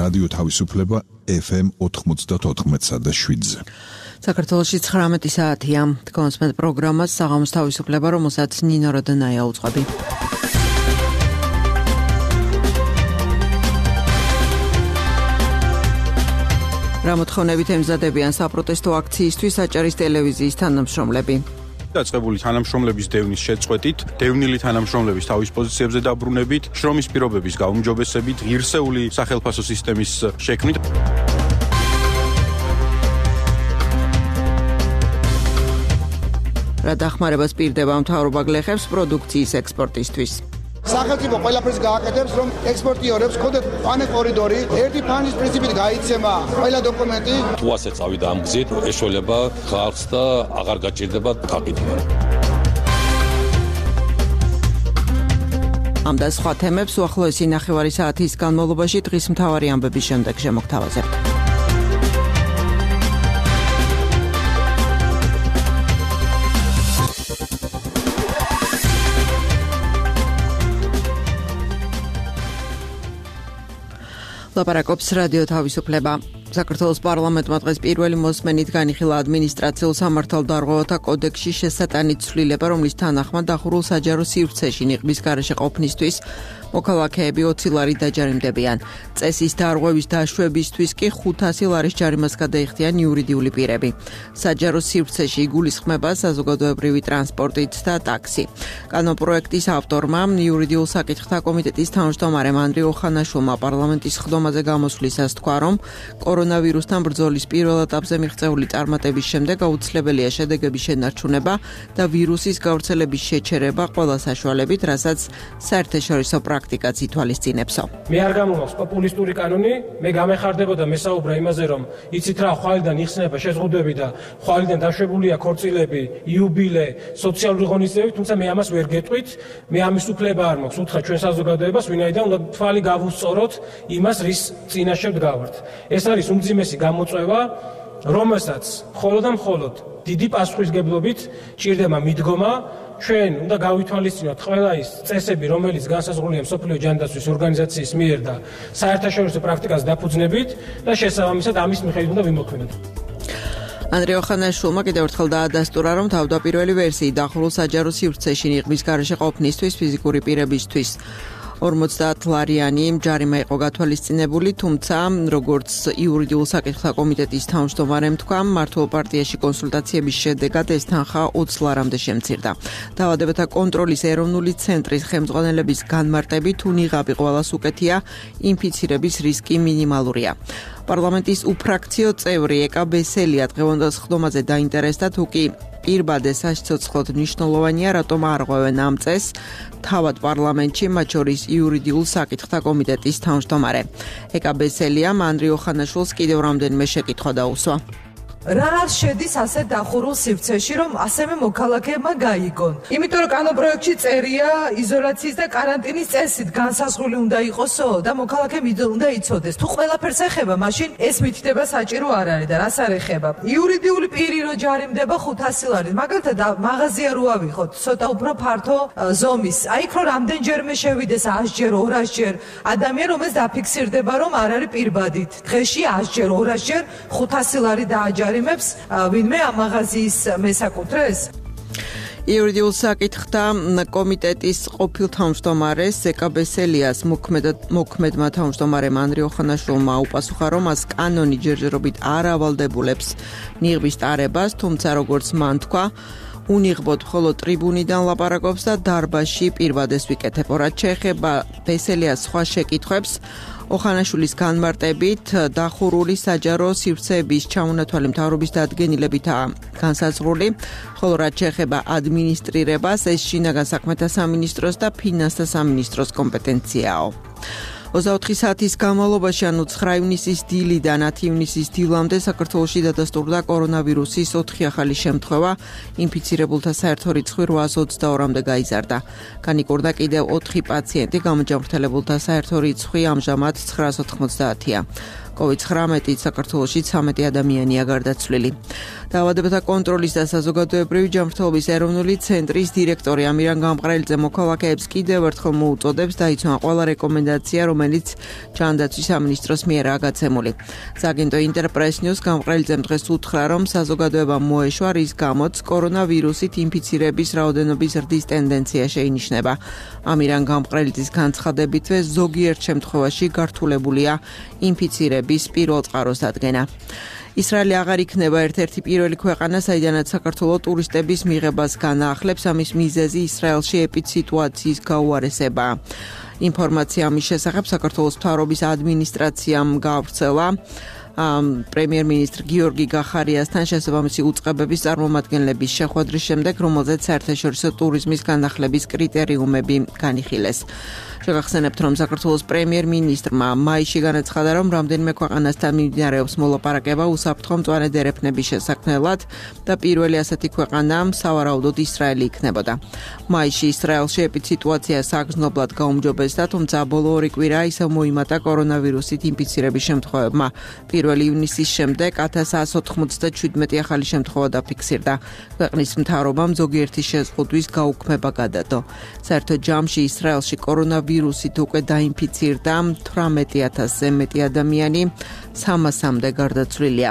რადიო თავისუფლება FM 94.7-ზე. საქართველოში 19 საათია. კონსმეთ პროგრამას საღამოს თავისუფლება, რომელსაც ნინო როდანაია უძღვები. რა მოთხოვნებით ემზადებიან საპროტესტო აქციისთვის აჭარის ტელევიზიის თანამშრომლები. დაწყებული თანამშრომლების დევნის შეწყვეტით, დევნილი თანამშრომლების თავის პოზიციებზე დაბრუნებით, შრომის პირობების გაუმჯობესებით, ღირსეული სახელმწიფო სისტემის შექმნით. რა დახმარებას პირდება მთავრობა გლეხებს პროდუქციის ექსპორტისთვის. სახელმწიფო ყველაფერს გააკეთებს, რომ ექსპორტიორებს ქონდეთ პანე კორიდორი, ერთი ფანის პრინციპით გაიცემა ყველა დოკუმენტი. თუ ასე წავიდა ამ გზით, ეშველება ხალხს და აღარ გაჭირდება გაყიდვა. ამ და სხვა თემებს უახლოესი ნახევარი საათის განმავლობაში დღის მთავარი ამბების შემდეგ შემოგთავაზებთ. ლაპარაკობს რადიო თავისუფლება. საქართველოს პარლამენტმა დღეს პირველი მოსმენით განიხილა ადმინისტრაციულ სამართალდარღვევათა კოდექსში შესატანით ცვლილება, რომლის თანახმად დახურულ საჯარო სივრცეში ნიღბის გარეშე ყოფნისთვის მოქალაქეები 20 ლარი დაჯარიმდებიან. წესის დარღვევის დაშვებისთვის კი 500 ლარის ჯარიმას გადაიხდიან იურიდიული პირები. საჯარო სივრცეში იგულისხმება საზოგადოებრივი ტრანსპორტით და ტაქსი. კანონპროექტის ავტორმა, იურიდიულ საკითხთა კომიტეტის თავმჯდომარემ ანდრიო ხანაშვილმა პარლამენტის ხდომაზე გამოსვლისას თქვა, რომ კორონავირუსთან ბრძოლის პირველ ეტაპზე მიღწეული წარმატების შემდეგ აუცილებელია შედეგების შენარჩუნება და ვირუსის გავრცელების შეჩერება ყველა საშუალებით, რასაც საერთაშორისო პრაქტიკაც ითვალისწინებსო. მე არ გამომაქვს პოპულისტური კანონი, მე გამეხარდებოდა მესაუბრა იმაზე, რომ იცით რა, ხვალიდან იხსნება შეზღუდვები და ხვალიდან დაშვებულია ქორწილები, იუბილე, სოციალური ღონისძიებები, თუმცა მე ამას ვერ გეტყვით, მე ამის უფლება არ მაქვს უთხრა ჩვენ საზოგადოებას, ვინაიდან უნდა თვალი გავუსწოროთ იმას, რის წინაშე ვდგავართ. ეს არის უმძიმესი გამოწვევა, რომელსაც მხოლოდ და მხოლოდ დიდი პასუხისგებლობით ჭირდება მიდგომა. ჩვენ უნდა გავითვალისწინოთ ყველა ის წესები, რომელიც განსაზღვრულია მსოფლიო ჯანდაცვის ორგანიზაციის მიერ და საერთაშორისო პრაქტიკას დაფუძნებით და შესაბამისად ამის მიხედვით უნდა ვიმოქმედოთ. ანდრიო ხანაშვილმა კიდევ ერთხელ დაადასტურა, რომ თავდაპირველი ვერსიით დახურულ საჯარო სივრცეში ნიღბის გარეშე ყოფნისთვის ფიზიკური პირებისთვის 50 ლარიანი ჯარიმა იყო გათვალისწინებული, თუმცა როგორც იურიდიულ საკითხთა კომიტეტის თავმჯდომარემ თქვა, მმართველ პარტიაში კონსულტაციების შედეგად ეს თანხა 20 ლარამდე შემცირდა. დაავადებათა კონტროლის ეროვნული ცენტრის ხელმძღვანელების განმარტებით, თუ ნიღაბი ყველას უკეთია, ინფიცირების რისკი მინიმალურია. პარლამენტის უფრაქციო წევრი ეკა ბესელია დღევანდელ ხდომაზე დაინტერესდა, თუ კი პირბადე საცოცხლოდ მნიშვნელოვანია, რატომ არ ღვევენ ამ წესს თავად პარლამენტში, მათ შორის იურიდიულ საკითხთა კომიტეტის თავმჯდომარე. ეკა ბესელიამ ანდრიო ხანაშვილს კიდევ რამდენიმე შეკითხვა დაუსვა. რა შედის ასე დახურულ სივრცეში, რომ ასევე მოქალაქეებმა გაიგონ? იმიტომ რომ კანონპროექტში წერია იზოლაციის და კარანტინის წესით განსაზღვრული უნდა იყოსო და მოქალაქეები უნდა იცოდეს. თუ ყველაფერს ეხება, მაშინ ეს მითითება საჭირო არ არის და რას არ ეხება. იურიდიული პირი რო ჯარიმდება 500 ლარი, მაგალითად მაღაზია რო ავიღოთ, ცოტა უფრო ფართო ზომის. აი იქ რო რამდენჯერმე შევიდეს 100 ჯერ, 200 ჯერ, ადამიანი რომელიც დაფიქსირდება, რომ არ არის პირბადით. დღეში 100 ჯერ, 200 ჯერ 500 ლარი დააჯარიმებს ვინმე ამ მაღაზიის მესაკუთრეს? იურიდიულ საკითხთა კომიტეტის ყოფილ თავმჯდომარეს ეკა ბესელიას მოქმედმა თავმჯდომარემ ანდრიო ხანაშვილმა უპასუხა, რომ მას კანონი ჯერჯერობით არ ავალდებულებს ნიღბის ტარებას, თუმცა როგორც მან თქვა, უნიღბოდ მხოლოდ ტრიბუნიდან ლაპარაკობს და დარბაზში პირბადეს ვიკეთებ. რაც შეეხება ბესელიას სხვა შეკითხვებს, ოხანაშვილის განმარტებით დახურული საჯარო სივრცეების ჩამონათვალი მთავრობის დადგენილებითაა განსაზღვრული, ხოლო რაც შეეხება ადმინისტრირებას, ეს შინაგან საქმეთა სამინისტროს და ფინანსთა სამინისტროს კომპეტენციაო. 24 საათის განმავლობაში, ანუ 9 ივნისის დილიდან 10 ივნისის დილამდე საქართველოში დადასტურდა კორონავირუსის 4 ახალი შემთხვევა, ინფიცირებულთა საერთო რიცხვი 822-მდე გაიზარდა. განიკურნა კიდევ 4 პაციენტი, გამოჯანმრთელებულთა საერთო რიცხვი ამჟამად 990-ია. COVID-19 საქართველოში 13 ადამიანია გარდაცვლილი. დაავადებათა კონტროლის და საზოგადოებრივი ჯანმრთელობის ეროვნული ცენტრის დირექტორი ამირან გამყრელიძე მოქალაქეებს კიდევ ერთხელ მოუწოდებს დაიცვან ყველა რეკომენდაცია, რომელიც ჯანდაცვის სამინისტროს მიერაა გაცემული. სააგენტო ინტერპრეს ნიუს გამყრელიძემ დღეს უთხრა, რომ საზოგადოებამ მოეშვა, რის გამოც კორონავირუსით ინფიცირების რაოდენობის ზრდის ტენდენცია შეინიშნება. ამირან გამყრელიძის განცხადებითვე ზოგიერთ შემთხვევაში გართულებულია ინფიცირების პირველ წყაროს დადგენა. ისრაელი აღარ იქნება ერთ-ერთი პირველი ქვეყანა, საიდანაც საქართველოს ტურისტების მიღებას განაახლებს. ამის მიზეზი ისრაელში ეპიდსიტუაციის გაუარესებაა. ინფორმაცია ამის შესახებ საქართველოს მთავრობის ადმინისტრაციამ გაავრცელა. პრემიერ-მინისტრ გიორგი გახარიასთან შესაბამისი უწყებების წარმომადგენლების შეხვედრის შემდეგ, რომელზეც საერთაშორისო ტურიზმის განახლების კრიტერიუმები განიხილეს. შეგახსენებთ, რომ საქართველოს პრემიერ-მინისტრმა მაისში განაცხადა, რომ რამდენიმე ქვეყანასთან მიმდინარეობს მოლაპარაკება უსაფრთხო მწვანე დერეფნების შესაქმნელად და პირველი ასეთი ქვეყანა სავარაუდოდ ისრაელი იქნებოდა. მაისში ისრაელში ეპიდსიტუაცია საგრძნობლად გაუმჯობესდა, თუმცა ბოლო 2 კვირა ისევ მოიმატა კორონავირუსით ინფიცირების შემთხვევებმა. 1 ივნისის შემდეგ 1197 ახალი შემთხვევა დაფიქსირდა. ქვეყნის მთავრობამ ზოგიერთი შეზღუდვის გაუქმება გადადო. საერთოდ ჯამში ისრაელში კორონავირუსით უკვე დაინფიცირდა 18,000-ზე მეტი ადამიანი, 300-მდე გარდაცვლილია.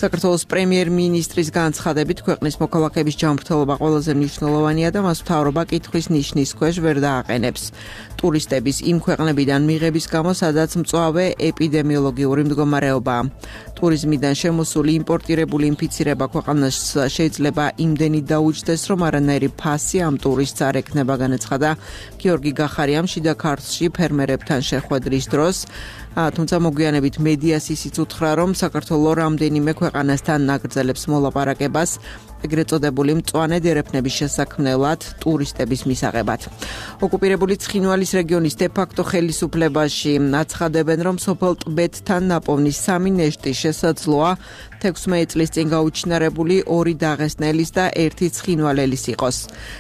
საქართველოს პრემიერ-მინისტრის განცხადებით, ქვეყნის მოქალაქეების ჯანმრთელობა ყველაზე მნიშვნელოვანია და მას მთავრობა კითხვის ნიშნის ქვეშ ვერ დააყენებს. ტურისტების იმ ქვეყნებიდან მიღების გამო, სადაც მწვავე ეპიდემიოლოგიური მდგომარეობაა. ტურიზმიდან შემოსული იმპორტირებული ინფიცირება ქვეყანას შეიძლება იმდენი დაუჯდეს, რომ არანაირი ფასი ამ ტურისტს არ ექნება, განაცხადა გიორგი გახარიამ შიდა ქართლში ფერმერებთან შეხვედრის დროს. თუმცა მოგვიანებით მედიას ისიც უთხრა, რომ საქართველოს რამდენიმე ქვეყანასთან ნაგრძელებს მოლაპარაკებას ეგრეთ წოდებული მწვანე დერეფნების შესაქმნელად ტურისტების მისაღებად. ოკუპირებული ცხინვალის რეგიონის დე-ფაქტო ხელისუფლებაში აცხადებენ, რომ სოფელ ტბეთთან ნაპოვნი 3 ნეშტი შესაძლოა 16 წლის წინ გაუჩინარებული 2 დაღესტნელის და 1 ცხინვალელის იყოს.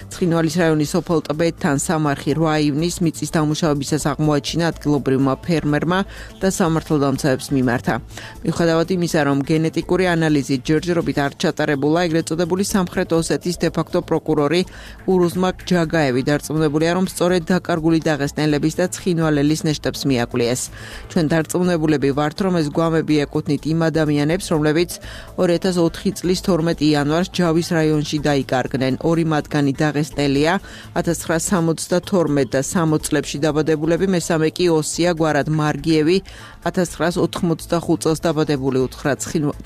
ცხინვალის რაიონის სოფელ ტბეთთან სამარხი 8 ივნის მიწის დამუშავებისას აღმოაჩინა ადგილობრივმა ფერმერმა და სამართალდამცავებს მიმართა. მიუხედავად იმისა, რომ გენეტიკური ანალიზი ჯერჯერობით არ ჩატარებულა, ეგრეთ წოდებული სამხრეთ ოსეთის დე-ფაქტო პროკურორი ურუზმაკ ჯაგაევი დარწმუნებულია, რომ სწორედ დაკარგული დაღესტნელების და ცხინვალელის ნეშტებს მიაკვლიეს. ჩვენ დარწმუნებულები ვართ, რომ ეს გვამები ეკუთვნით იმ ადამიანებს, რომლებიც 2004 წლის 12 იანვარს ჯავის რაიონში დაიკარგნენ. 2 მათგანი დაღესტნელია, 1972 და 60 წლებში დაბადებულები, მესამე კი ოსია გვარად მარგიევი, 1985 წელს დაბადებული, უთხრა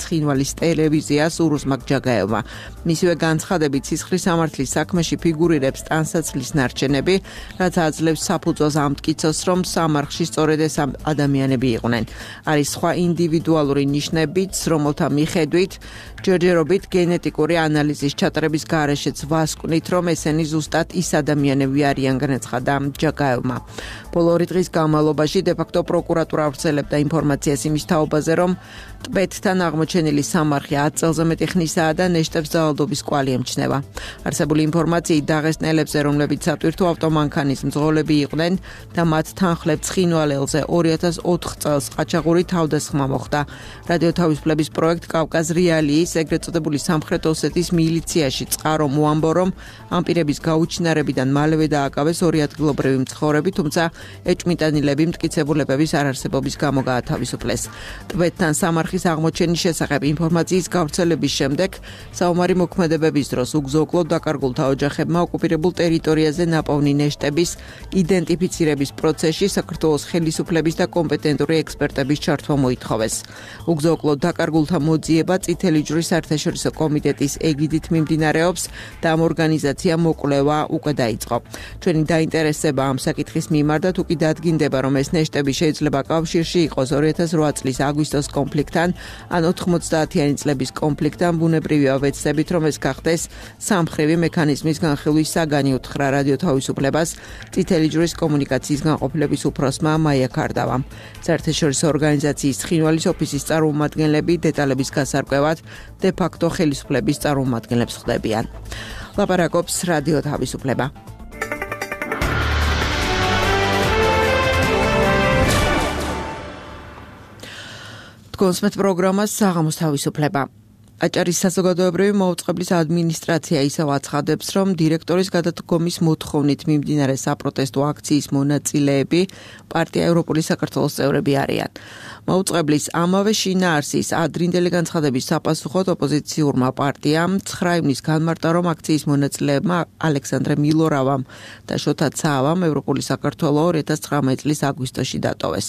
ცხინვალის ტელევიზიას ურუზმაკ ჯაგაევმა. მისივე განცხადებით, სისხლის სამართლის საქმეში ფიგურირებს ტანსაცმლის ნარჩენები, რაც აძლევს საფუძველს ამ მტკიცოს, რომ სამარხში სწორედ ეს ადამიანები იყვნენ. არის სხვა ინდივიდუალური ნიშნებიც, რომელთა მიხედვით ჯერჯერობით გენეტიკური ანალიზის ჩატარების გარეშეც ვასკვნით, რომ ესენი ზუსტად ის ადამიანები არიან, განაცხადა ჯაგაევმა. ბოლო 2 დღის განმავლობაში დე-ფაქტო პროკურატურა ავრცელებდა ინფორმაციას იმის თაობაზე, რომ ტბეთთან აღმოჩენილი სამარხი 10 წელზე მეტი ხნისაა და ნეშტებს ძალადობის კვალი ემჩნევა. არსებული ინფორმაციით დაღესტნელებზე, რომლებიც სატვირთო ავტომანქანის მძღოლები იყვნენ და მათ თანხლებ ცხინვალელზე 2004 წელს ყაჩაღური თავდასხმა მოხდა. რადიო თავისუფლების პროექტ კავკაზ რეალიის ეგრეთ წოდებული სამხრეთ ოსეთის მილიციაში წყარო მოამბო, რომ ამ პირების გაუჩინარებიდან მალევე დააკავეს 2 ადგილობრივი მცხოვრები, თუმცა ეჭვმიტანილები მტკიცებულებების არარსებობის გამო გაათავისუფლეს. ტბეთთან სამარხის აღმოჩენის შესახებ ინფორმაციის გავრცელების შემდეგ საომარი მოქმედებების დროს უგზო-უკლოდ დაკარგულთა ოჯახებმა ოკუპირებულ ტერიტორიაზე ნაპოვნი ნეშტების იდენტიფიცირების პროცესში საქართველოს ხელისუფლების და კომპეტენტური ექსპერტების ჩართვა მოითხოვეს. უგზო-უკლოდ დაკარგულთა მოძიება წითელი ჯვრის საერთაშორისო კომიტეტის ეგიდით მიმდინარეობს და ამ ორგანიზაციამ მოკვლევა უკვე დაიწყო. ჩვენი დაინტერესება ამ საკითხის მიმართ და თუ კი დადგინდება, რომ ეს ნეშტები შეიძლება კავშირში იყოს 2008 წლის აგვისტოს კონფლიქტთან ან 90-იანი წლების კონფლიქტთან, ბუნებრივია ვეცდებით, რომ ეს გახდეს სამხრივი მექანიზმის განხილვის საგანი, უთხრა რადიო თავისუფლებას წითელი ჯვრის კომუნიკაციის განყოფილების უფროსმა მაია ქარდავამ. საერთაშორისო ორგანიზაციის ცხინვალის ოფისის წარმომადგენლები დეტალების გასარკვევად დე-ფაქტო ხელისუფლების წარმომადგენლებს ხდებიან. ლაპარაკობს რადიო თავისუფლება. გონსმეთ პროგრამას საღამოს თავისუფლება. აჭარის საზოგადოებრივი მოუწყებლის ადმინისტრაცია ისევ აცხადებს, რომ დირექტორის გადადგომის მოთხოვნით მიმდინარე საპროტესტო აქციის მონაწილეები პარტია ევროპული საქართველოს წევრები არიან. მოუწყებლის ამავე შინაარსის ადრინდელი განცხადების sapasუხოდ ოპოზიციურმა პარტიამ 9 ივნის განმარტა, რომ აქციის მონაწილეებმა ალექსანდრე მილორავამ და შოთა ცაავამ ევროპული საქართველო 2019 წლის აგვისტოში დატოვეს.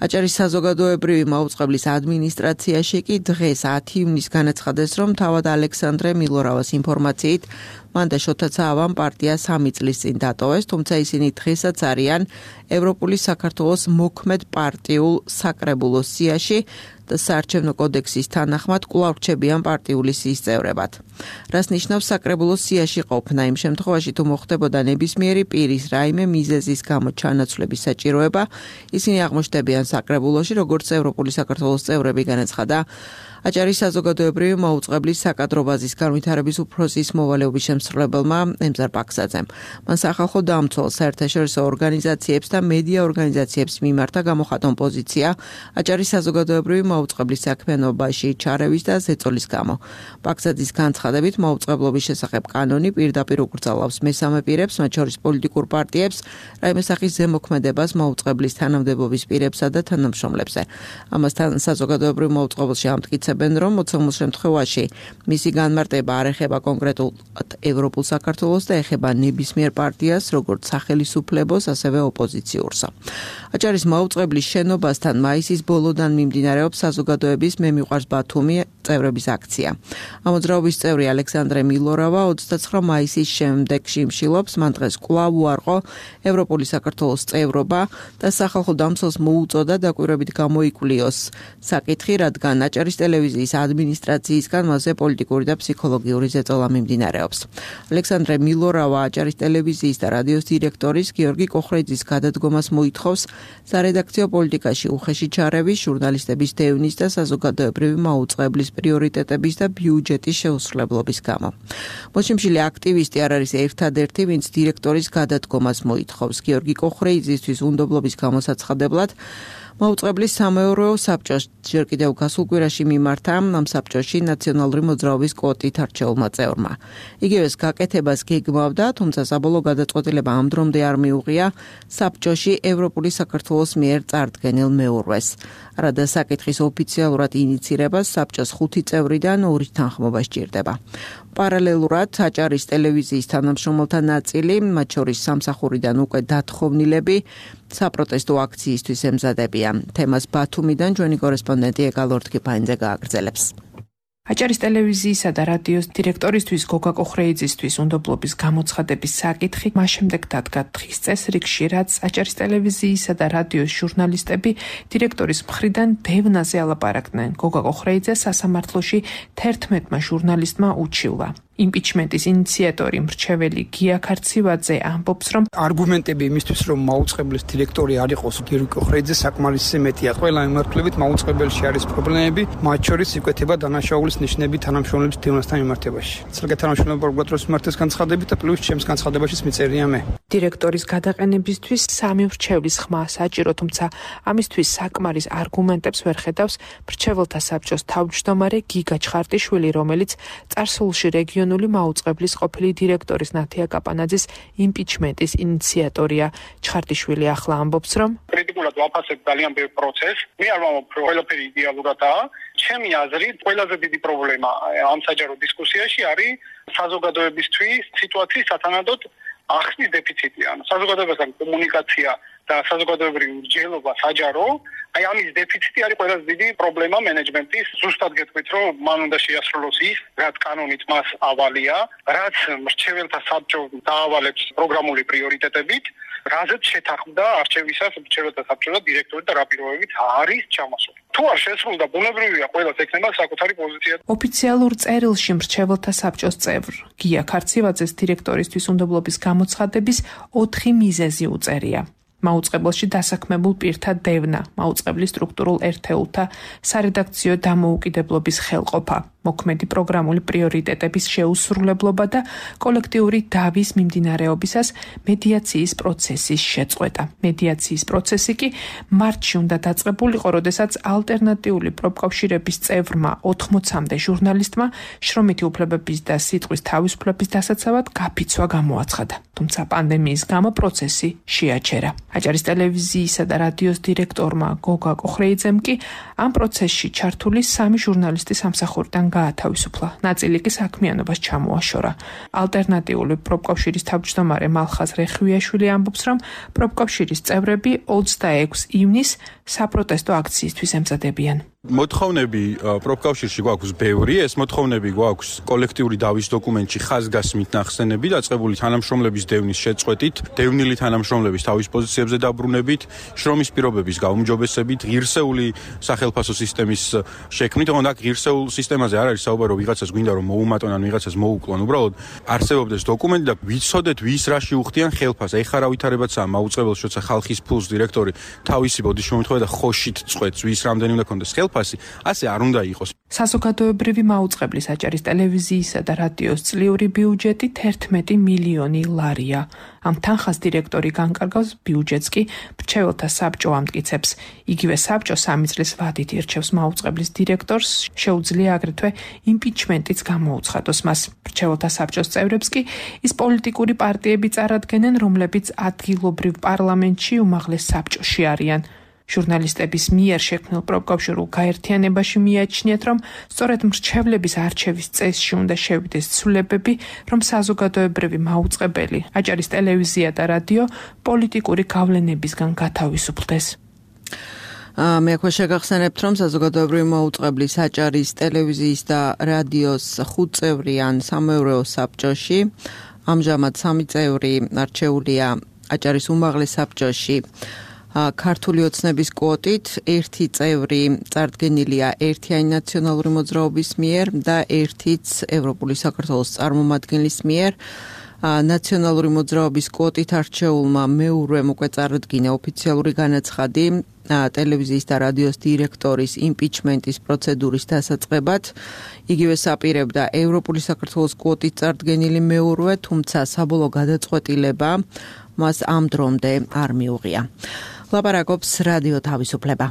აჭარის საზოგადოებრივი მოუწყებლის ადმინისტრაციაში კი დღეს 10 ივნის განაცხადეს, რომ თავად ალექსანდრე მილორავას ინფორმაციით მან და შოთა ცაავამ პარტია 3 წლის წინ დატოვეს, თუმცა ისინი დღესაც არიან ევროპული საქართველოს მოქმედ პარტიულ საკრებულოს სიაში და საარჩევნო კოდექსის თანახმად კვლავ რჩებიან პარტიული სიის წევრებად. რას ნიშნავს საკრებულოს სიაში ყოფნა იმ შემთხვევაში, თუ მოხდებოდა ნებისმიერი პირის რაიმე მიზეზის გამო ჩანაცვლების საჭიროება, ისინი აღმოჩნდებიან საკრებულოში, როგორც ევროპული საქართველოს წევრები, განაცხადა აჭარის საზოგადოებრივი მოუწყებლის საკადრო ბაზის განვითარების უფროსის მოვალეობის შემსრულებელმა ემზარ ბაქსაძემ. მან სახალხო დამცველ საერთაშორისო ორგანიზაციებს და მედია ორგანიზაციებს მიმართა გამოხატონ პოზიცია აჭარის საზოგადოებრივი მოუწყებლის საქმიანობაში ჩარევის და ზეწოლის გამო. ბაქსაძის განცხადებით, მოუწყებლობის შესახებ კანონი პირდაპირ უკრძალავს მესამე პირებს, მათ შორის პოლიტიკურ პარტიებს, რაიმე სახის ზემოქმედებას მოუწყებლის თანამდებობის პირებსა და თანამშრომლებზე. ამასთან საზოგადოებრივ მოუწყებელში ამტკიცებენ, რომ მოცემულ შემთხვევაში მისი განმარტება არ ეხება კონკრეტულად ევროპულ საქართველოს და ეხება ნებისმიერ პარტიას, როგორც სახელისუფლებას, ასევე ოპოზიციურსა. აჭარის მოუწყებლის შენობასთან მაისის ბოლოდან მიმდინარეობს საზოგადოების მე მიყვარს ბათუმი წევრების აქცია. ამოძრაობის წევრი ალექსანდრე მილორავა 29 მაისის შემდეგ შიმშილობს, მან დღეს კვლავ უარყო ევროპული საქართველოს წევრობა და სახალხო დამცველს მოუწოდა დაკვირვებით გამოიკვლიოს საკითხი, რადგან აჭარის ტელევიზიის ადმინისტრაციისგან მასზე პოლიტიკური და ფსიქოლოგიური ზეწოლა მიმდინარეობს. ალექსანდრე მილორავა აჭარის ტელევიზიის და რადიოს დირექტორის გიორგი კოხრეძის გადადგომას მოითხოვს სარედაქციო პოლიტიკაში უხეში ჩარევის, ჟურნალისტების დევნის და საზოგადოებრივი მოუწყებლის პრიორიტეტების და ბიუჯეტის შეუსრულებლობის გამო. მოშიმშილი აქტივისტი არ არის ერთადერთი, ვინც დირექტორის გადადგომას მოითხოვს. გიორგი კოხრეიძისთვის უნდობლობის გამოსაცხადებლად მოუწყებლის სამეურვეო საბჭოს ჯერ კიდევ გასულ კვირაში მიმართა ამ საბჭოში ნაციონალური მოძრაობის კვოტით არჩეულმა წევრმა. იგივეს გაკეთებას გეგმავდა, თუმცა საბოლოო გადაწყვეტილება ამ დრომდე არ მიუღია საბჭოში ევროპული საქართველოს მიერ წარდგენილ მეურვეს. რადა საკითხის ოფიციალურად ინიცირებას საბჭოს 5 წევრიდან 2 თანხმობა სჭირდება. პარალელურად აჭარის ტელევიზიის თანამშრომელთა ნაწილი, მათ შორის სამსახურიდან უკვე დათხოვნილები, საპროტესტო აქციისთვის ემზადებიან. თემას ბათუმიდან ჩვენი კორესპონდენტი ეკალორთ კიფაინძე გააგრძელებს. აჭარის ტელევიზიისა და რადიოს დირექტორისთვის გოგა კოხრეიძისთვის უნდობლობის გამოცხადების საკითხი მას შემდეგ დადგა დღის წესრიგში, რაც აჭარის ტელევიზიისა და რადიოს ჟურნალისტები დირექტორის მხრიდან დევნაზე ალაპარაკდნენ. გოგა კოხრეიძე სასამართლოში 11 ჟურნალისტმა უჩივლა. იმპიჩმენტის ინიციატორი მრჩეველი გია ქარცივაძე ამბობს, რომ არგუმენტები იმისთვის, რომ მოუწყებლის დირექტორი არ იყოს გიორგი კოხრეიძე, საკმარისი მეტია. ყველა მიმართულებით მოუწყებელში არის პრობლემები, მათ შორის იკვეთება დანაშაულის ნიშნები თანამშრომლების დევნასთან მიმართებაში. ცალკე თანამშრომლები პროკურატურის მიმართეს განცხადებით და პლუს ჩემს განცხადებაშიც მიწერია მე. დირექტორის გადაყენებისთვის 3 მრჩევლის ხმა საჭირო, თუმცა ამისთვის საკმარის არგუმენტებს ვერ ხედავს მრჩეველთა საბჭოს თავმჯდომარე გიგა ჩხარტიშვილი, რომელიც წარსულში რეგიონული მოუწყებლის ყოფილი დირექტორის ნათია კაპანაძის იმპიჩმენტის ინიციატორია. ჩხარტიშვილი ახლა ამბობს, რომ კრიტიკულად ვაფასებ ძალიან ბევრ პროცესს. მე არ ვამბობ, რომ ყველაფერი იდეალურადაა. ჩემი აზრით, ყველაზე დიდი პრობლემა ამ საჯარო დისკუსიაში არის საზოგადოებისთვის სიტუაციის სათანადოდ ახსნის დეფიციტი. საზოგადოებასთან კომუნიკაცია და საზოგადოებრივი მსჯელობა საჯარო, აი ამის დეფიციტი არის ყველაზე დიდი პრობლემა მენეჯმენტის. ზუსტად გეტყვით, რომ მან უნდა შეასრულოს ის, რაც კანონით მას ავალია, რაც მრჩეველთა საბჭო დაავალებს პროგრამული პრიორიტეტებით, რაზეც შეთანხმდა არჩევისას მრჩეველთა საბჭო და დირექტორი და რა პირობებით არის ჩამოსული. თუ არ შესრულდა, ბუნებრივია ყველას ექნება საკუთარი პოზიცია. ოფიციალურ წერილში მრჩეველთა საბჭოს წევრ გია ქარცივაძეს დირექტორისთვის უნდობლობის გამოცხადების 4 მიზეზი უწერია. მაუწყებელში დასაქმებულ პირთა დევნა, მაუწყებლის სტრუქტურულ ერთეულთა სარედაქციო დამოუკიდებლობის ხელყოფა, მოქმედი პროგრამული პრიორიტეტების შეუსრულებლობა და კოლექტიური დავის მიმდინარეობისას მედიაციის პროცესის შეწყვეტა. მედიაციის პროცესი კი მარტში უნდა დაწყებულიყო, როდესაც ალტერნატიული პროფკავშირების წევრმა 80-მდე ჟურნალისტმა შრომითი უფლებების და სიტყვის თავისუფლების დასაცავად გაფიცვა გამოაცხადა. თუმცა პანდემიის გამო პროცესი შეაჩერა. აჭარის ტელევიზიისა და რადიოს დირექტორმა გოგა კოხრეიძემ კი ამ პროცესში ჩართული 3 ჟურნალისტი სამსახურიდან გაათავისუფლა. ნაწილი კი საქმიანობას ჩამოაშორა. ალტერნატიული პროფკავშირის თავმჯდომარე მალხაზ რეხვიაშვილი ამბობს, რომ პროფკავშირის წევრები 26 ივნისს საპროტესტო აქციისთვის ემზადებიან. მოთხოვნები პროფკავშირში გვაქვს ბევრი, ეს მოთხოვნები გვაქვს კოლექტიური დავის დოკუმენტში ხაზგასმით ნახსენები, დაწყებული თანამშრომლების დევნის შეწყვეტით, დევნილი თანამშრომლების თავის პოზიციებზე დაბრუნებით, შრომის პირობების გაუმჯობესებით, ღირსეული სახელფასო სისტემის შექმნით, თუმცა აქ ღირსეულ სისტემაზე არ არის საუბარი, ვიღაცას გვინდა რომ მოუმატონ ან ვიღაცას მოუკლონ, უბრალოდ არსებობდეს დოკუმენტი და ვიცოდეთ ვის რაში უხდიან ხელფასს. ეხლა რა ვითარებაცაა მაუწყებელს, როცა ხალხის ფულს დირექტორი თავისი ბოდიშ მომთხოვა და ხოშით წყვეტს, ვის რამდენი უნდა ქონდეს ხელფასი, ასე არ უნდა იყოს. საზოგადოებრივი მაუწყებლის აჭარის ტელევიზიისა და რადიოს წლიური ბიუჯეტი 11 მილიონი ლარია. ამ თანხას დირექტორი განკარგავს, ბიუჯეტს კი მრჩეველთა საბჭო ამტკიცებს. იგივე საბჭო 3 წლის ვადით ირჩევს მაუწყებლის დირექტორს, შეუძლია აგრეთვე იმპიჩმენტიც გამოუცხადოს მას. მრჩეველთა საბჭოს წევრებს კი ის პოლიტიკური პარტიები წარადგენენ, რომლებიც ადგილობრივ პარლამენტში უმაღლეს საბჭოში არიან. ჟურნალისტების მიერ შექმნილ პროფკავშირულ გაერთიანებაში მიაჩნიათ, რომ სწორედ მრჩევლების არჩევის წესში უნდა შევიდეს ცვლილებები, რომ საზოგადოებრივი მაუწყებელი აჭარის ტელევიზია და რადიო პოლიტიკური გავლენებისგან გათავისუფლდეს. მე ახლა შეგახსენებთ, რომ საზოგადოებრივი მაუწყებლის აჭარის ტელევიზიის და რადიოს 5 წევრიან სამეურვეო საბჭოში. ამჟამად 3 წევრი არჩეულია აჭარის უმაღლეს საბჭოში. ქართული ოცნების კვოტით 1 წევრი წარდგენილია ერთიანი ნაციონალური მოძრაობის მიერ და 1-იც ევროპული საქართველოს წარმომადგენლის მიერ. ნაციონალური მოძრაობის კვოტით არჩეულმა მეურვემ უკვე წარადგინა ოფიციალური განაცხადი ტელევიზიის და რადიოს დირექტორის იმპიჩმენტის პროცედურის დასაწყებად. იგივე საპირებდა ევროპული საქართველოს კვოტით წარდგენილი მეურვე, თუმცა საბოლოო გადაწყვეტილება მას ამ დრომდე არ მიუღია. ლაპარაკობს რადიო თავისუფლება.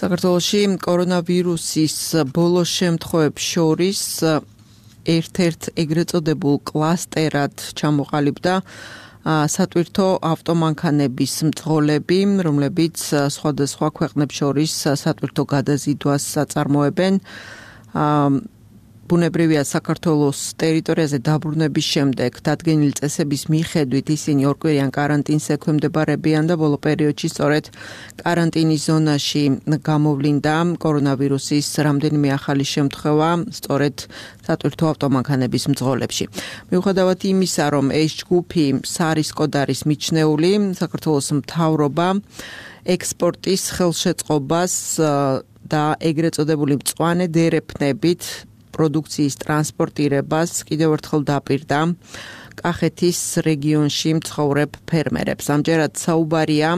საქართველოში კორონავირუსის ბოლო შემთხვევებს შორის ერთ-ერთ ეგრეთ წოდებულ კლასტერად ჩამოყალიბდა სატვირთო ავტომანქანების მძღოლები, რომლებიც სხვადასხვა ქვეყნებს შორის სატვირთო გადაზიდვას აწარმოებენ. ბუნებრივია საქართველოს ტერიტორიაზე დაბრუნების შემდეგ დადგენილი წესების მიხედვით ისინი ორკვირიან კარანტინს ექვემდებარებიან და ბოლო პერიოდში სწორედ კარანტინის ზონაში გამოვლინდა კორონავირუსის რამდენიმე ახალი შემთხვევა სწორედ სატვირთო ავტომანქანების მძღოლებში. მიუხედავად იმისა, რომ ეს ჯგუფი სარისკოდ არის მიჩნეული, საქართველოს მთავრობა ექსპორტის ხელშეწყობას და ეგრეთ წოდებული მწვანე დერეფნებით პროდუქციის ტრანსპორტირებას კიდევ ერთხელ დაპირდა კახეთის რეგიონში მცხოვრებ ფერმერებს. ამჯერად საუბარია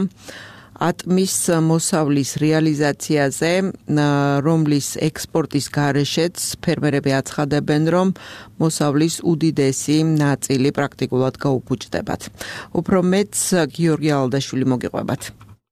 ატმის მოსავლის რეალიზაციაზე, რომლის ექსპორტის გარეშეც ფერმერები აცხადებენ, რომ მოსავლის უდიდესი ნაწილი პრაქტიკულად გაუფუჭდებათ. უფრო მეტს გიორგი ალდაშვილი მოგიყვებათ.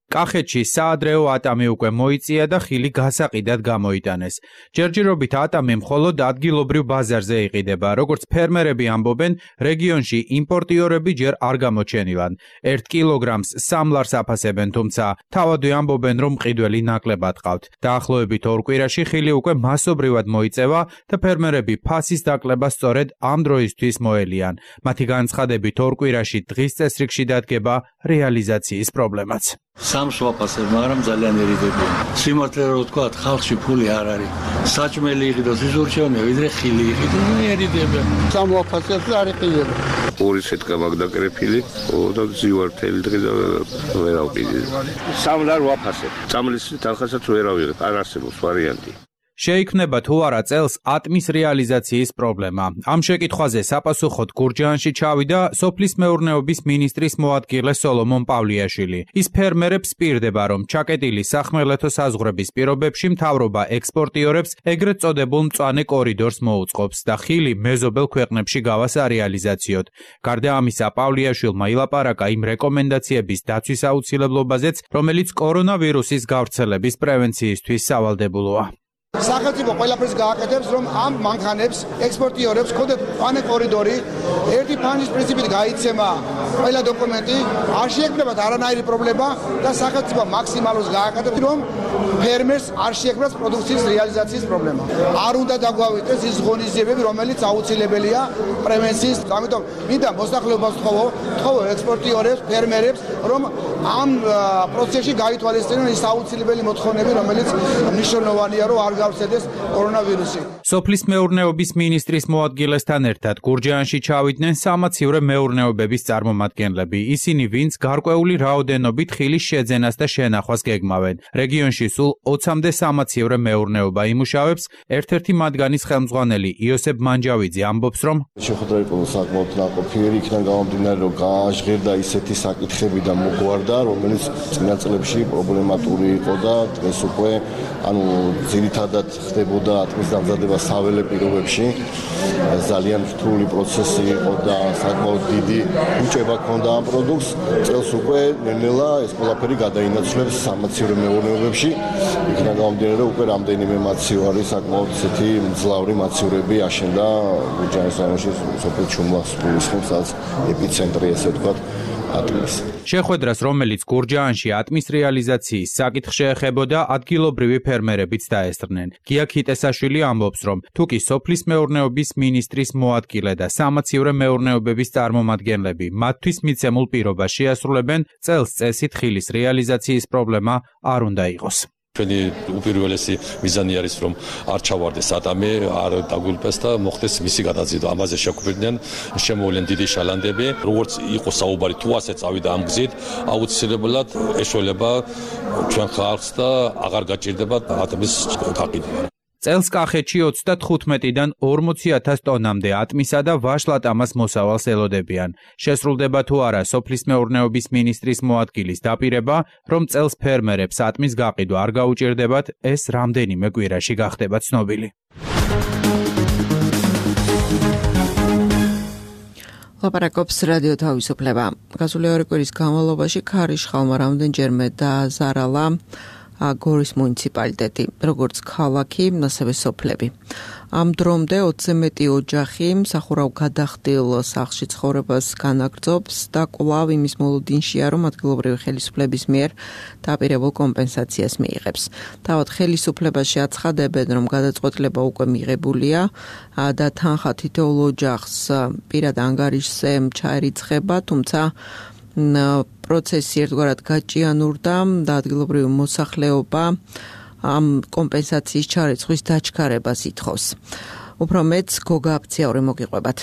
კახეთში საადრეო ატამი უკვე მოიწია და ხილი გასაყიდად გამოიტანეს. ჯერჯერობით ატამი მხოლოდ ადგილობრივ ბაზარზე იყიდება. როგორც ფერმერები ამბობენ, რეგიონში იმპორტიორები ჯერ არ გამოჩენილან. 1 კილოგრამს 3 ლარს აფასებენ, თუმცა თავადვე ამბობენ, რომ მყიდველი ნაკლებად ყავთ. დაახლოებით 2 კვირაში ხილი უკვე მასობრივად მოიწევა და ფერმერები ფასის დაკლებას სწორედ ამ დროისთვის მოელიან. მათი განცხადებით 2 კვირაში დღის წესრიგში დადგება რეალიზაციის პრობლემაც. სამს ვაფასებ, მაგრამ ძალიან ერიდებიან. სიმართლე რომ ვთქვათ, ხალხში ფული არ არის. საჭმელი იყიდოს ის ურჩევნია, ვიდრე ხილი იყიდოს, ერიდებიან. სამ ვაფასებ და არ იყიდება. ორი სეტკა მაგდაკრეფილი, და ზივარ თელი დღე და ვერ ავყიდი. 3 ლარ ვაფასებ. წამლის თანხასაც ვერ ავიღებ, არ არსებობს ვარიანტი. შეიქმნება თუ არა წელს ატმის რეალიზაციის პრობლემა. ამ შეკითხვაზე საპასუხოდ გურჯაანში ჩავიდა სოფლის მეურნეობის მინისტრის მოადგილე სოლომონ პავლიაშვილი. ის ფერმერებს პირდება, რომ ჩაკეტილი სახმელეთო საზღვრების პირობებში მთავრობა ექსპორტიორებს ეგრეთ წოდებულ მწვანე კორიდორს მოუწყობს და ხილი მეზობელ ქვეყნებში გავას არეალიზაციოდ. გარდა ამისა, პავლიაშვილმა ილაპარაკა იმ რეკომენდაციების დაცვის აუცილებლობაზეც, რომელიც კორონავირუსის გავრცელების პრევენციისთვის სავალდებულოა. სახელმწიფო ყველაფერს გააკეთებს, რომ ამ მანქანებს, ექსპორტიორებს ქონდეთ მწვანე კორიდორი, ერთი ფანჯის პრინციპით გაიცემა ყველა დოკუმენტი, არ შეექმნებათ არანაირი პრობლემა და სახელმწიფო მაქსიმალურს გააკეთებს, რომ ფერმერს არ შეექმნას პროდუქციის რეალიზაციის პრობლემა. არ უნდა დაგვავიდეს ის ღონისძიებები, რომელიც აუცილებელია პრევენციის, ამიტომ მინდა მოსახლეობას ვთხოვო ექსპორტიორებს, ფერმერებს, რომ ამ პროცესში გაითვალისწინონ ის აუცილებელი მოთხოვნები, რომელიც მნიშვნელოვანია, რომ არ გავცედეს კორონავირუსი. სოფლის მეურნეობის მინისტრის მოადგილესთან ერთად გურჯაანში ჩავიდნენ სამაცივრე მეურნეობების წარმომადგენლები. ისინი, ვინც გარკვეული რაოდენობით ხილის შეძენას და შენახვას გეგმავენ. რეგიონში სულ 20-მდე სამაცივრე მეურნეობა იმუშავებს. ერთ-ერთი მათგანის ხელმძღვანელი იოსებ მანჯავიძე ამბობს, რომ შეხვედრა იყო საკმაოდ ნაყოფიერი, იქიდან გამომდინარე, რომ გააჟღერდა ისეთი საკითხები და მოგვარდა, რომელიც წინა წლებში პრობლემატური იყო და დღეს უკვე ძირითადად ხდებოდა ატმის დამზადება საველე პირობებში. ძალიან რთული პროცესი იყო და საკმაოდ დიდი უჭება ჰქონდა ამ პროდუქტს. წელს უკვე ნელ-ნელა ეს ყველაფერი გადაინაცვლებს სამაცივრე მეურნეობებში. იქიდან გამომდინარე, უკვე რამდენიმე მაციო არის საკმაოდ ისეთი მძლავრი მაცივრები აშენდა გურჯაანის რაიონში, სოფელ ჩუმლასულის ხომსაც ეპიცენტრი, ესე ვთქვათ, ატმის. შეხვედრას, რომელიც გურჯაანში ატმის რეალიზაციის საკითხს შეეხებოდა, ადგილობრივი ფერმერებიც დაესწრნენ. გია ქიტესაშვილი ამბობს, რომ თუკი სოფლის მეურნეობის მინისტრის მოადგილე და სამაცივრე მეურნეობების წარმომადგენლები მათთვის მიცემულ პირობას შეასრულებენ, წელს წესით ხილის რეალიზაციის პრობლემა არ უნდა იყოს. ჩვენი უპირველესი მიზანი არის, რომ არ ჩავარდეს ატამი, არ დაგულპეს და მოხდეს მისი გადაზიდვა. ამაზე შეგვიძლია შემოვლენ დიდი შალანდები. როგორც იყო საუბარი, თუ ასე წავიდა ამ გზით, აუცილებლად ეშველება ჩვენ ხალხს და აღარ გაჭირდება ატმის გაყიდვა. წელს კახეთში 35-დან 40,000 ტონამდე ატმისა და ვაშლატამას მოსავალს ელოდებიან. შესრულდება თუ არა სოფლის მეურნეობის მინისტრის მოადგილის დაპირება, რომ წელს ფერმერებს ატმის გაყიდვა არ გაუჭირდებათ, ეს რამდენიმე კვირაში გახდება ცნობილი. ლაპარაკობს რადიო თავისუფლება. გასული 2 კვირის განმავლობაში ქარიშხალმა რამდენჯერმე დააზარალა გორის მუნიციპალიტეტი, როგორც ქალაქი, ასევე სოფლები. ამ დრომდე 20-ზე მეტი ოჯახი მსახურავ გადახდილ სახლში ცხოვრებას განაგრძობს და კვლავ იმის მოლოდინშია, რომ ადგილობრივი ხელისუფლების მიერ დაპირებულ კომპენსაციას მიიღებს. თავად ხელისუფლებაში აცხადებენ, რომ გადაწყვეტილება უკვე მიღებულია და თანხა თითოეულ ოჯახს პირად ანგარიშზე ჩაერიცხება, თუმცა პროცესი ერთგვარად გაჭიანურდა და ადგილობრივი მოსახლეობა ამ კომპენსაციის ჩარიცხვის დაჩქარებას ითხოვს. უფრო მეც გოგა აფციაური მოგიყვებათ.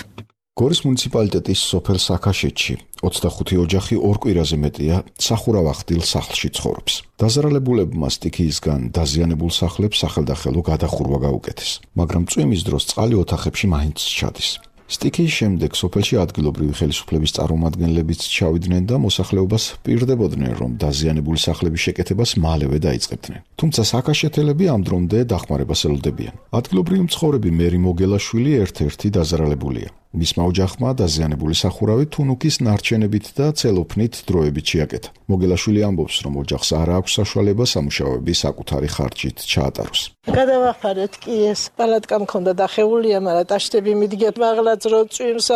გორის მუნიციპალიტეტის სოფელ საქაშეთში 25 ოჯახი 2 კვირაზე მეტია სახურავ ახდილ სახლში ცხოვრობს. დაზარალებულებმა სტიქიისგან დაზიანებულ სახლებს სახელდახელო გადახურვა გაუკეთეს, მაგრამ წვიმის დროს წყალი ოთახებში მაინც ჩადის. სტიქიის შემდეგ სოფელში ადგილობრივი ხელისუფლების წარმომადგენლებიც ჩავიდნენ და მოსახლეობას პირდებოდნენ, რომ დაზიანებული სახლების შეკეთებას მალევე დაიწყებდნენ. თუმცა საქაშეთელები ამ დრომდე დახმარებას ელოდებიან. ადგილობრივი მცხოვრები მერი მოგელაშვილი ერთ-ერთი დაზარალებულია. მისმა ოჯახმა დაზიანებული სახურავი თუნუქის ნარჩენებით და ცელოფნით დროებით შეაკეთა. მოგელაშვილი ამბობს, რომ ოჯახს არ აქვს საშუალება სამუშაოები საკუთარი ხარჯით ჩაატაროს. გადავახარეთ კი ეს პალატკა მქონდა დახეულია, მაგრამ ტაშტები მიდგეთ მაღლაც რო წვიმს,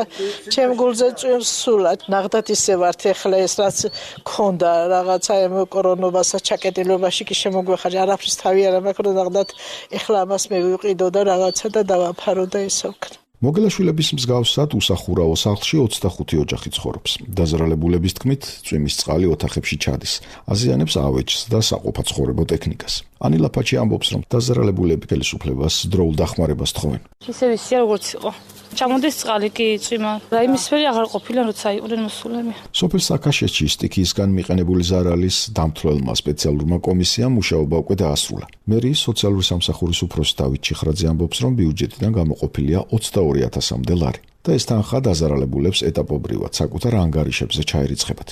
ჩემ გულზე წვიმს სულად. ნახდათ ისე ვართ ეხლა ეს რაც მქონდა რაღაცა ამ კორონობასა ჩაკეტილობაში კი შემოგვეხარჯა, არაფრის თავი არ მაქვს, ნახდათ ეხლა ამას მე ვიყიდო და რაღაცა და დავაფარო და ისე ვქნა. მოგელაშვილების მსგავსად უსახურავო სახლში 25 ოჯახი ცხოვრობს. დაზარალებულების თქმით, წვიმის წყალი ოთახებში ჩადის, აზიანებს ავეჯს და საყოფაცხოვრებო ტექნიკას. ანილა ფაჩი ამბობს, რომ დაზარალებულები ხელისუფლებას დროულ დახმარებას თხოვენ. ისე ვიცი, როგორც იყო. ჩამოდის წყალი კი იწვიმა. რაიმისფერი აღარ ყოფილა, როცა იყვნენ მოსულები. სოფელ საქაშეთში სტიქიისგან მიყენებული ზარალის დამთვლელმა სპეციალურმა კომისიამ მუშაობა უკვე დაასრულა. მერიის სოციალური სამსახურის უფროსი დავით ჩიხრაძე ამბობს, რომ ბიუჯეტიდან გამოყოფილია 22,000-მდე ლარი. და ეს თანხა დაზარალებულებს ეტაპობრივად საკუთარ ანგარიშებზე ჩაერიცხებათ.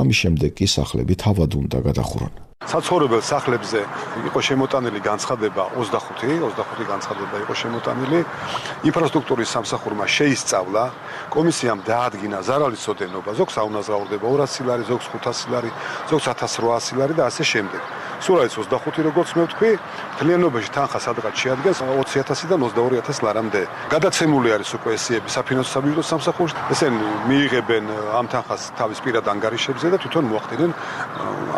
ამის შემდეგ კი სახლები თავად უნდა გადახურონ. საცხოვრებელ სახლებზე იყო შემოტანილი განცხადება 25 განცხადება იყო შემოტანილი. ინფრასტრუქტურის სამსახურმა შეისწავლა, კომისიამ დაადგინა ზარალის ოდენობა, ზოგს აუნაზღაურდება 200 ლარი, ზოგს 500 ლარი, ზოგს 1800 ლარი და ასე შემდეგ. სულ არის 25 როგორც მე ვთქვი, მთლიანობაში თანხა სადღაც შეადგენს 20,000-დან 22,000 ლარამდე. გადაცემული არის უკვე ესეები საფინანსო საბიუჯეტო სამსახურში. ესენი მიიღებენ ამ თანხას თავის პირად ანგარიშებზე და თვითონ მოახდინენ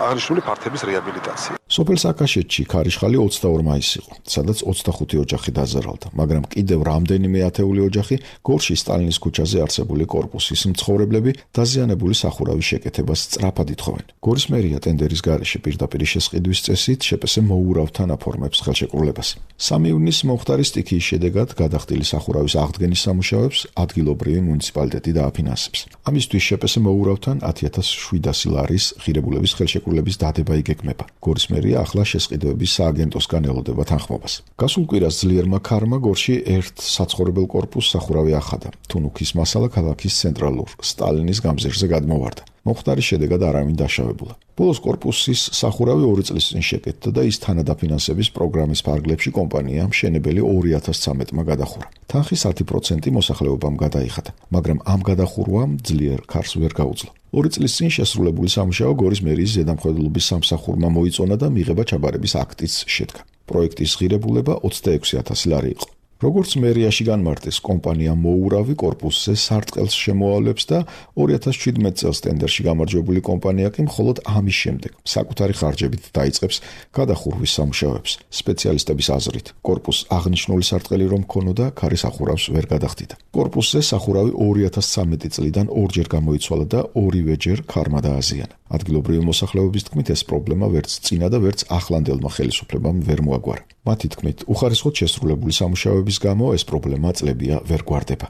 აღნიშნული ფართების რეაბილიტაცია. სოფელ საქაშეთში ქარიშხალი 22 მაისს იყო, სადაც 25 ოჯახი დაზარალდა, მაგრამ კიდევ რამდენიმე ათეული ოჯახი გორში სტალინის ქუჩაზე არსებული კორპუსის მცხოვრებლები დაზიანებული სახურავის შეკეთებას სწრაფად ითხოვენ. გორის მერია ტენდერის გარეშე პირდაპირ შესყიდვის წესით შეპესე მოურავთან აფორმებს ხელშეკრულებას. 3 ივნისს მომხდარი სტიქიის შედეგად გადახდილი სახურავის აღდგენის სამუშაოებს ადგილობრივი მუნიციპალიტეტი დააფინანსებს. ამისთვის შეპესე მოურავთან 10,700 ლარის ღირებულების ხელშეკრულების დადება იგეგმება. გორის მერია ახლა შესყიდვების სააგენტოსგან ელოდება თანხმობას. გასულ კვირას ძლიერმა ქარმა გორში ერთ საცხოვრებელ კორპუსს სახურავი ახადა. თუნუქის მასალა ქალაქის ცენტრალურ სტალინის გამზირზე გადმოვარდა. მომხდარის შედეგად არავინ დაშავებულა. ბოლოს კორპუსის სახურავი 2 წლის წინ შეკეთდა და ის თანადაფინანსების პროგრამის ფარგლებში კომპანიამ მშენებელი 2013-მა გადახურა. თანხის 10% მოსახლეობამ გადაიხადა, მაგრამ ამ გადახურვამ ძლიერ ქარს ვერ გაუძლო. 2 წლის წინ შესრულებული სამუშაო გორის მერიის ზედამხედველობის სამსახურმა მოიწონა და მიღება ჩაბარების აქტიც შედგა. პროექტის ღირებულება 26,000 ლარი იყო. როგორც მერიაში განმარტეს, კომპანია მოურავი კორპუსზე სარტყელს შემოავლებს და 2017 წელს ტენდერში გამარჯვებული კომპანია კი მხოლოდ ამის შემდეგ საკუთარი ხარჯებით დაიწყებს გადახურვის სამუშაოებს. სპეციალისტების აზრით, კორპუსს აღნიშნული სარტყელი რომ ქონოდა, ქარი სახურავს ვერ გადახდიდა. კორპუსზე სახურავი 2013 წლიდან ორჯერ გამოიცვალა და ორივეჯერ ქარმა დააზიანა. ადგილობრივი მოსახლეობის თქმით, ეს პრობლემა ვერც წინა და ვერც ახლანდელმა ხელისუფლებამ ვერ მოაგვარა. მათი თქმით, უხარისხოდ შესრულებული სამუშაოების გამო ეს პრობლემა წლებია ვერ გვარდება.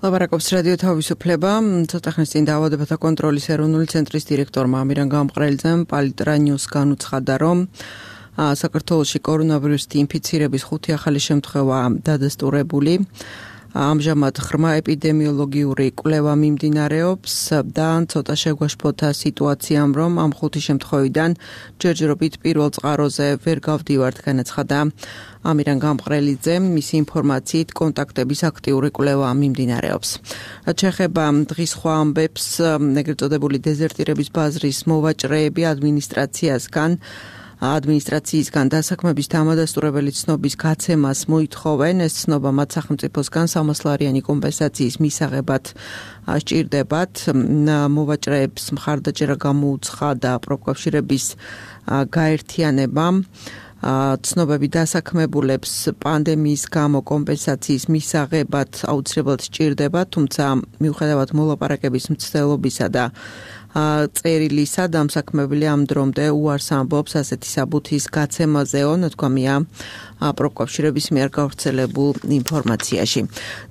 ლაპარაკობს რადიო თავისუფლება. ცოტა ხნის წინ დაავადებათა კონტროლის ეროვნული ცენტრის დირექტორმა ამირან გამყრელიძემ პალიტრა ნიუს განუცხადა, რომ საქართველოში კორონავირუსით ინფიცირების 5 ახალი შემთხვევა დადასტურებული. ამჟამად ღრმა ეპიდემიოლოგიური კვლევა მიმდინარეობს და ცოტა შეგვაშფოთა სიტუაციამ, რომ ამ 5 შემთხვევიდან ჯერჯერობით პირველ წყაროზე ვერ გავდივართ, განაცხადა ამირან გამყრელიძემ. მისი ინფორმაციით კონტაქტების აქტიური კვლევა მიმდინარეობს. ჩეხება დღის სხვა ამბებს, ეგრეთ წოდებული დეზერტირების ბაზრის მოვაჭრეები ადმინისტრაციისგან დასაქმების დამადასტურებელი ცნობის გაცემას მოითხოვენ. ეს ცნობა მათ სახელმწიფოსგან 300 ლარიანი კომპენსაციის მისაღებად სჭირდებათ. მოვაჭრეებს მხარდაჭერა გამოუცხადა პროფკავშირების გაერთიანებამ. ცნობები დასაქმებულებს პანდემიის გამო კომპენსაციის მისაღებად აუცილებლად სჭირდება, თუმცა მიუხედავად მოლაპარაკების მცდელობისა და წერილისა დამსაქმებელი ამ დრომდე უარს ამბობს ასეთი საბუთის გაცემაზეო, ნათქვამია პროფკავშირების მიერ გავრცელებულ ინფორმაციაში.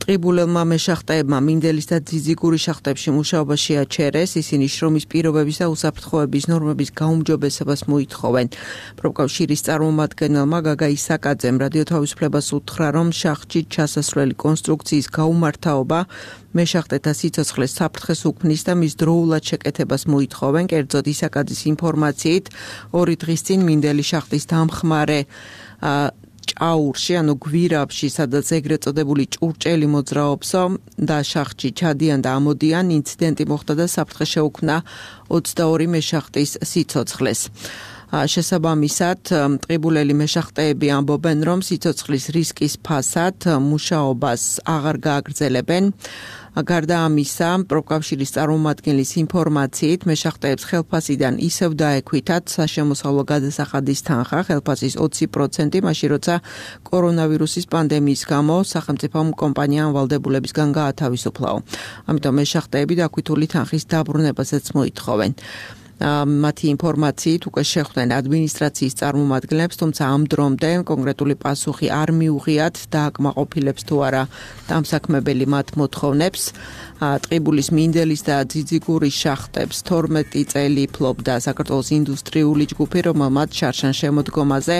ტყიბულელმა მეშახტეებმა მინდელის და ძიძიგური შახტებში მუშაობა შეაჩერეს, ისინი შრომის პირობების და უსაფრთხოების ნორმების გაუმჯობესებას მოითხოვენ. პროფკავშირის წარმომადგენელმა გაგა ისაკაძემ რადიო თავისუფლებას უთხრა, რომ შახტში ჩასასვლელი კონსტრუქციის გაუმართაობა მეშახტეთა სიცოცხლეს საფრთხეს უქმნის და მის დროულად შეკეთებას მოითხოვენ. კერძოდ ისაკაძის ინფორმაციით 2 დღის წინ მინდელის შახტის დამხმარე ჭაურში, ანუ გვირაბში, სადაც ეგრეთ წოდებული ჭურჭელი მოძრაობსო და შახტში ჩადიან და ამოდიან, ინციდენტი მოხდა და საფრთხე შეუქმნა 22 მეშახტის სიცოცხლეს. შესაბამისად, ტყიბულელი მეშახტეები ამბობენ, რომ სიცოცხლის რისკის ფასად მუშაობას აღარ გააგრძელებენ. გარდა ამისა, პროფკავშირის წარმომადგენლის ინფორმაციით, მეშახტეებს ხელფასიდან ისევ დაექვითათ საშემოსავლო გადასახადის თანხა, ხელფასის 20%, მაშინ როცა კორონავირუსის პანდემიის გამო სახელმწიფომ კომპანიამ ვალდებულებისგან გაათავისუფლაო. ამიტომ მეშახტეები დაქვითული თანხის დაბრუნებასაც მოითხოვენ. მათი ინფორმაციით უკვე შეხვდნენ ადმინისტრაციის წარმომადგენლებს, თუმცა ამ დრომდე კონკრეტული პასუხი არ მიუღიათ დააკმაყოფილებს თუ არა დამსაქმებელი მათ მოთხოვნებს. ტყიბულის მინდელის და ძიძიგურის შახტებს 12 წელი ფლობდა საქართველოს ინდუსტრიული ჯგუფი, რომელმაც შარშან შემოდგომაზე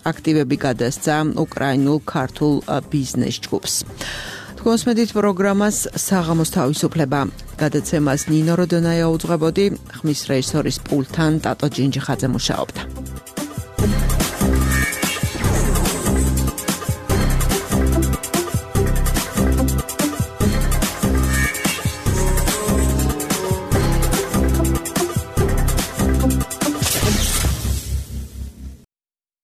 აქტივები გადასცა უკრაინულ ქართულ ბიზნეს ჯგუფს. კონსმედით პროგრამას საღამოს თავისუფლება გადაცემას ნინო როდონაია უძღვებოდი, ხმის რეჟისორის პულტთან ტატო ჯინჯიხაძე მუშაობდა.